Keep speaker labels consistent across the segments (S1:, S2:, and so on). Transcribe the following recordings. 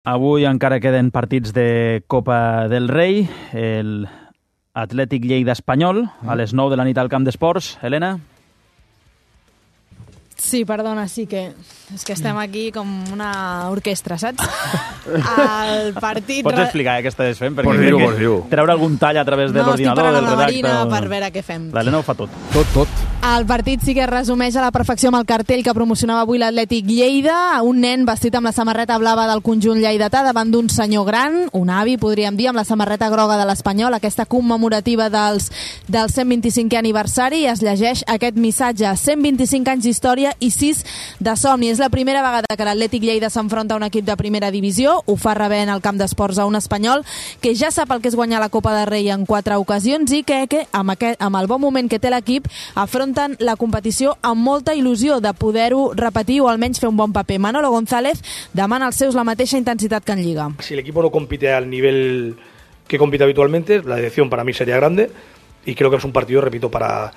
S1: Avui encara queden partits de Copa del Rei, el Atlètic Lleida Espanyol, a les 9 de la nit al Camp d'Esports. Helena?
S2: Sí, perdona, sí que... És que estem aquí com una orquestra, saps? El partit...
S1: Pots explicar què estàs fent?
S3: Pots dir-ho.
S1: Treure algun tall a través de l'ordinador, del redacte...
S2: No, estic parant amb la Marina per veure què fem.
S1: L'Helena ho fa tot.
S3: Tot.
S2: El partit sí que es resumeix a la perfecció amb el cartell que promocionava avui l'Atlètic Lleida. Un nen vestit amb la samarreta blava del conjunt lleidatà davant d'un senyor gran, un avi, podríem dir, amb la samarreta groga de l'Espanyol, aquesta commemorativa del 125è aniversari. Es llegeix aquest missatge: 125 anys d'història i 6 de somni. És la primera vegada que l'Atlètic Lleida s'enfronta a un equip de primera divisió. Ho fa rebent al Camp d'Esports a un espanyol que ja sap el que és guanyar la Copa del Rei en 4 ocasions i que amb el bon moment que té l'equip afronten la competició amb molta il·lusió de poder-ho repetir o almenys fer un bon paper. Manolo González demana als seus la mateixa intensitat que en Lliga.
S4: Si el equipo no compite al nivel que compite habitualmente, la decepción para mí sería grande y creo que es un partido, repito, para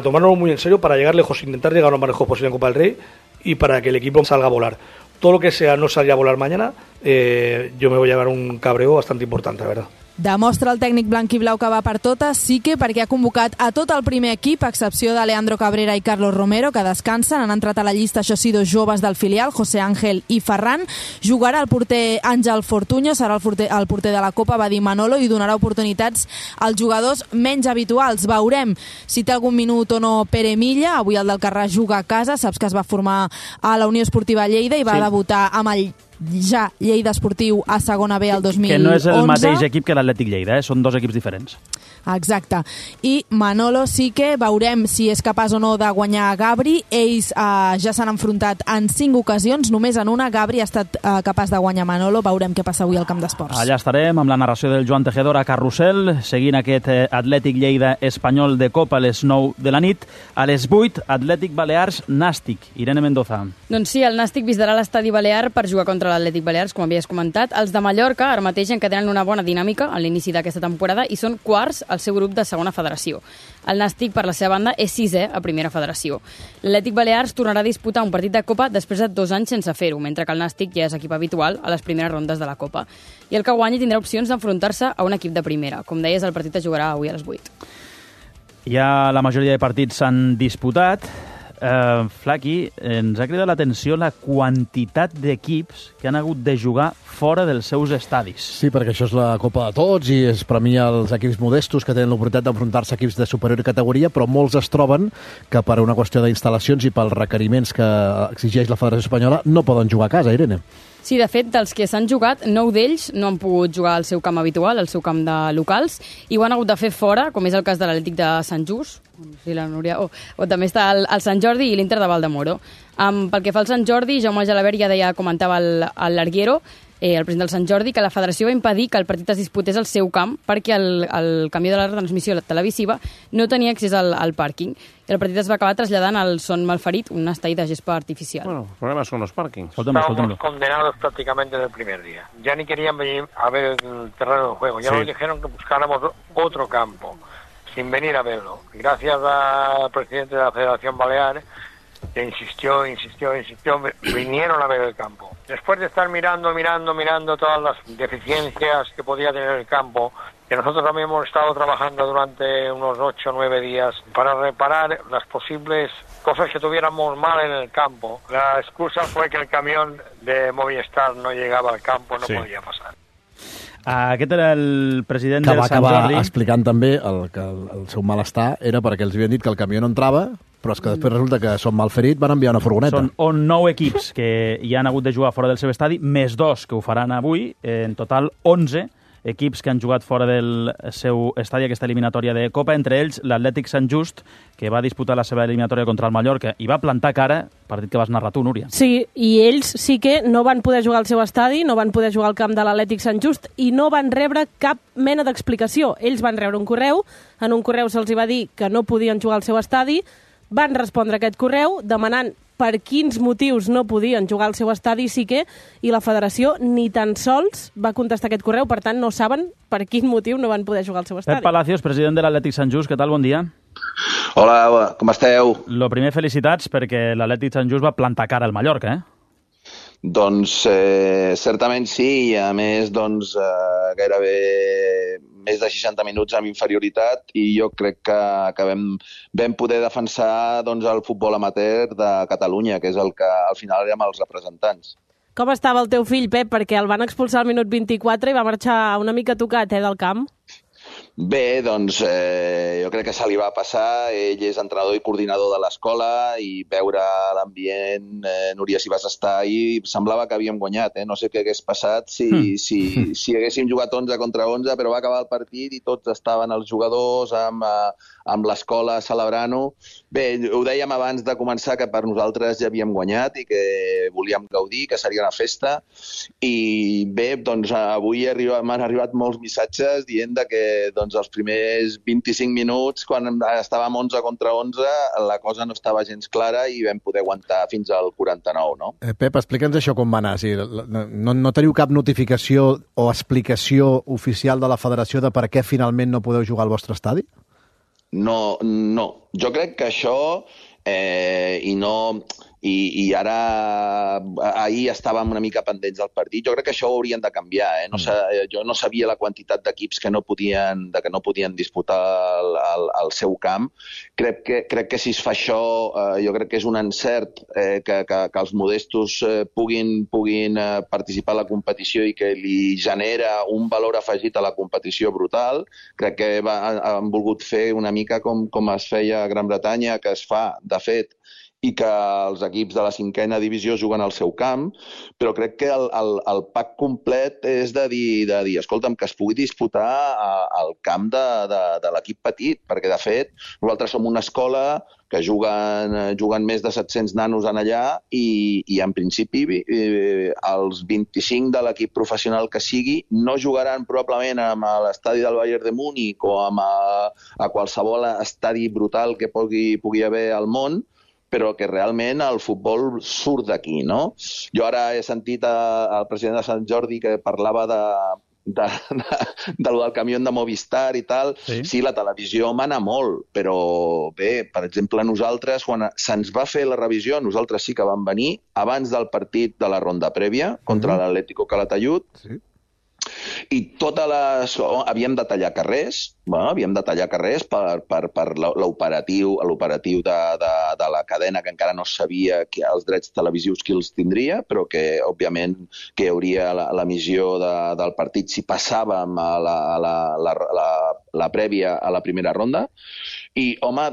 S4: tomárnoslo muy en serio, para llegar lejos, intentar llegar lo más lejos posible en Copa del Rey y para que el equipo salga a volar. Todo lo que sea no salir a volar mañana, yo me voy a llevar un cabreo bastante importante, la verdad.
S2: Demostra el tècnic blanquiblau que va per totes, sí que perquè ha convocat a tot el primer equip, a excepció de Leandro Cabrera i Carlos Romero, que descansen. Han entrat a la llista, això sí, 2 joves del filial, José Ángel i Ferran. Jugarà el porter Àngel Fortuño, serà el porter de la Copa, va dir Manolo, i donarà oportunitats als jugadors menys habituals. Veurem si té algun minut o no Pere Milla. Avui el del Carràs juga a casa, saps que es va formar a la Unió Esportiva Lleida i va debutar amb el ja Lleida Esportiu a segona B el 2011.
S1: Que no és el mateix equip que l'Atlètic Lleida, són 2 equips diferents.
S2: Exacte. I Manolo sí que veurem si és capaç o no de guanyar a Gabri. Ells ja s'han enfrontat en 5 ocasions, només en una Gabri ha estat capaç de guanyar Manolo. Veurem què passa avui al Camp d'Esports.
S1: Allà estarem amb la narració del Joan Tejedor a Carrusel, seguint aquest Atlètic Lleida Espanyol de Copa a les 9 de la nit. A les 8, Atlètic Balears Nàstic. Irene Mendoza.
S5: Doncs sí, el Nàstic visitarà l'estadi Balear per jugar contra l'Atlètic Balears, com havies comentat. Els de Mallorca ara mateix encadenen una bona dinàmica a l'inici d'aquesta temporada i són quarts al seu grup de segona federació. El Nàstic, per la seva banda, és 6è a primera federació. L'Atlètic Balears tornarà a disputar un partit de Copa després de 2 anys sense fer-ho, mentre que el Nàstic ja és equip habitual a les primeres rondes de la Copa. I el que guanyi tindrà opcions d'enfrontar-se a un equip de primera. Com deies, el partit es jugarà avui a les 8.
S1: Ja la majoria de partits s'han disputat. Flaqui, ens ha cridat l'atenció la quantitat d'equips que han hagut de jugar fora dels seus estadis.
S3: Sí, perquè això és la Copa de Tots i es premia els equips modestos que tenen l'oportunitat d'enfrontar-se a equips de superior categoria, però molts es troben que per una qüestió d'instal·lacions i pels requeriments que exigeix la Federació Espanyola no poden jugar a casa, Irene.
S5: Sí, de fet, dels que s'han jugat, 9 d'ells no han pogut jugar al seu camp habitual, al seu camp de locals, i ho han hagut de fer fora, com és el cas de l'Atlètic de Sant Just, o també està el Sant Jordi i l'Inter de Valdemoro. Pel que fa al Sant Jordi, Jaume Gelabert ja deia, comentava el Larguero, el president del Sant Jordi, que la federació va impedir que el partit es disputés al seu camp perquè el camió de la retransmissió televisiva no tenia accés al pàrquing. I el partit es va acabar traslladant al Son Malferit, un estall de gespa artificial.
S6: Bueno, el problema son los parkings.
S7: Estábamos condenados prácticamente desde el primer día. Ya ni querían venir a ver el terreno de juego. Ya nos dijeron que buscáramos otro campo, sin venir a verlo. Gracias al presidente de la Federación Balear, que insistió, vinieron a ver el campo. Después de estar mirando todas las deficiencias que podía tener el campo, que nosotros también hemos estado trabajando durante unos 8 o 9 días para reparar las posibles cosas que tuviéramos mal en el campo. La excusa fue que el camión de Movistar no llegaba al campo, no podía pasar.
S1: Aquest era el president
S3: del
S1: Sant Jordi.
S3: Que va acabar explicant també que el seu malestar era perquè els havien dit que el camió no entrava, però és que després resulta que Son Malferit van enviar una furgoneta.
S1: Són 9 equips que hi han hagut de jugar fora del seu estadi, més 2 que ho faran avui. En total, 11 equips que han jugat fora del seu estadi aquesta eliminatòria de Copa, entre ells l'Atlètic Sant Just, que va disputar la seva eliminatòria contra el Mallorca i va plantar cara, partit que vas narrar tu, Núria.
S8: Sí, i ells sí que no van poder jugar al seu estadi, no van poder jugar al camp de l'Atlètic Sant Just i no van rebre cap mena d'explicació. Ells van rebre un correu, en un correu se'ls va dir que no podien jugar al seu estadi, van respondre aquest correu demanant per quins motius no podien jugar al seu estadi i la federació ni tan sols va contestar aquest correu, per tant no saben per quin motiu no van poder jugar al seu estadi.
S1: Pep Palacios, president de l'Atlètic Sant Just, què tal? Bon dia.
S9: Hola, com esteu?
S1: Lo primer, felicitats perquè l'Atlètic Sant Just va plantar cara al Mallorca,
S6: Doncs certament sí, i a més gairebé més de 60 minuts amb inferioritat, i jo crec que vam poder defensar el futbol amateur de Catalunya, que és el que al final érem els representants.
S8: Com estava el teu fill, Pep? Perquè el van expulsar al minut 24 i va marxar una mica tocat del camp.
S6: Bé, jo crec que se li va passar. Ell és entrenador i coordinador de l'escola, i veure l'ambient, Núria, si vas estar ahir, semblava que havíem guanyat. No sé què hagués passat si haguéssim jugat 11 contra 11, però va acabar el partit i tots estaven els jugadors amb l'escola celebrant-ho. Bé, ho dèiem abans de començar, que per nosaltres ja havíem guanyat i que volíem gaudir, que seria una festa. I bé, avui m'han arribat molts missatges dient que els primers 25 minuts, quan estàvem 11 contra 11, la cosa no estava gens clara i vam poder aguantar fins al 49, no?
S3: Pep, explica'ns això com va anar. No teniu cap notificació o explicació oficial de la federació de per què finalment no podeu jugar al vostre estadi?
S6: No. Jo crec que això, i ara ahir estàvem una mica pendents del partit. Jo crec que això ho haurien de canviar. Jo no sabia la quantitat d'equips que no podien disputar al seu camp. Crec que si es fa això, jo crec que és un encert que els modestos puguin participar a la competició i que li genera un valor afegit a la competició brutal. Crec que han volgut fer una mica com es feia a Gran Bretanya, que es fa, de fet, i que els equips de la 5a divisió juguen al seu camp, però crec que el pack complet és de dir, escolta'm, que es pugui disputar al camp de l'equip petit, perquè de fet nosaltres som una escola que juguen més de 700 nanos en allà i en principi els 25 de l'equip professional que sigui no jugaran probablement a l'estadi del Bayern de Múnich o a qualsevol estadi brutal que pugui haver al món, però que realment el futbol surt d'aquí, no? Jo ara he sentit el president de Sant Jordi que parlava del camió de Movistar i tal. Sí, la televisió mana molt, però bé, per exemple, nosaltres, quan se'ns va fer la revisió, nosaltres sí que vam venir abans del partit de la ronda prèvia contra l'Atlético Calatayud, i havíem de tallar carrers, per l'operatiu de la cadena, que encara no sabia els drets televisius qui els tindria, però que, òbviament, que hi hauria l'emissió del partit si passàvem a la prèvia a la primera ronda. I, home,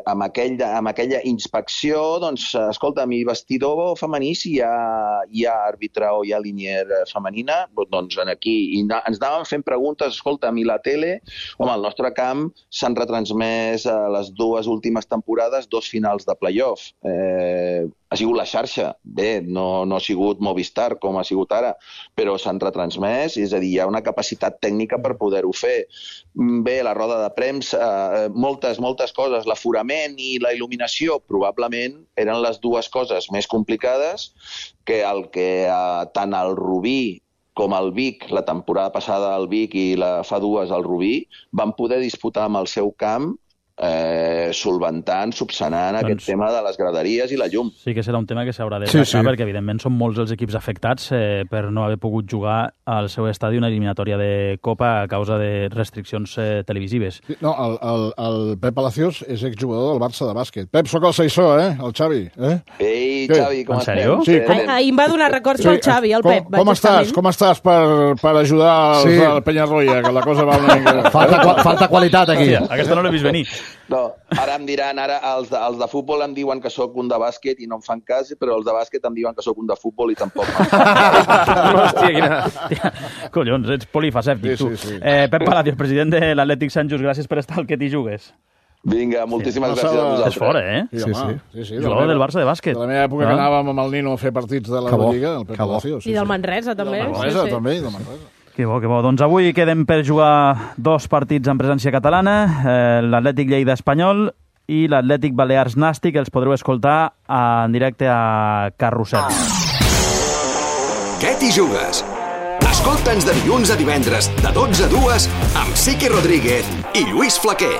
S6: amb aquella inspecció, escolta, mi vestidor femení, si hi ha àrbitre o hi ha linier femenina, aquí. I ens anàvem fent preguntes, escolta, a la tele, home, al nostre camp s'han retransmès les 2 últimes temporades 2 finals de playoff. Ha sigut la xarxa. Bé, no ha sigut Movistar com ha sigut ara, però s'han retransmès, és a dir, hi ha una capacitat tècnica per poder-ho fer. Bé, la roda de premsa, moltes coses, l'aforament i la il·luminació probablement eren les 2 coses més complicades que tant el Rubí com el Vic, la temporada passada el Vic i fa 2 el Rubí, van poder disputar amb el seu camp subsanant aquest tema de les graderies i la llum.
S1: Sí que serà un tema que s'haurà de tractar, perquè evidentment són molts els equips afectats per no haver pogut jugar al seu estadi una eliminatòria de Copa a causa de restriccions televisives.
S9: No, el Pep Palacios és exjugador del Barça de bàsquet. Pep, sóc el Saissó, el Xavi.
S6: Ei, Xavi, com estem?
S1: En sèrio?
S9: Sí,
S8: ahir em va donar records al Xavi, el Pep.
S9: Com estàs per ajudar al Penyarroia, que la cosa va una mica...
S3: Falta qualitat aquí.
S1: Aquesta no l'he vist venir.
S6: No, ara em diran, els de futbol em diuen que sóc un de bàsquet i no em fan cas, però els de bàsquet em diuen que sóc un de futbol i tampoc fan cas.
S1: Hòstia, quina... Collons, ets polifacèptic, tu. Pep Palacios, president de l'Atlètic Sant Just, gràcies per estar al que t'hi jugues.
S6: Vinga, moltíssimes gràcies a vosaltres.
S1: És fora,
S9: Sí.
S1: Jugador del Barça de bàsquet.
S9: De la meva època que anàvem amb el Nino a fer partits de la Lliga, el Pep Palacios.
S8: I del Manresa, també.
S9: Del Manresa.
S1: Que bo. Doncs avui quedem per jugar 2 partits en presència catalana, l'Atlètic Lleida Espanyol i l'Atlètic Balears Nàstic, els podreu escoltar en directe a Carrusel.
S10: Què t'hi jugues? Escolta'ns de dilluns a divendres, de 12 a 2, amb Sique Rodríguez i Lluís Flaquer.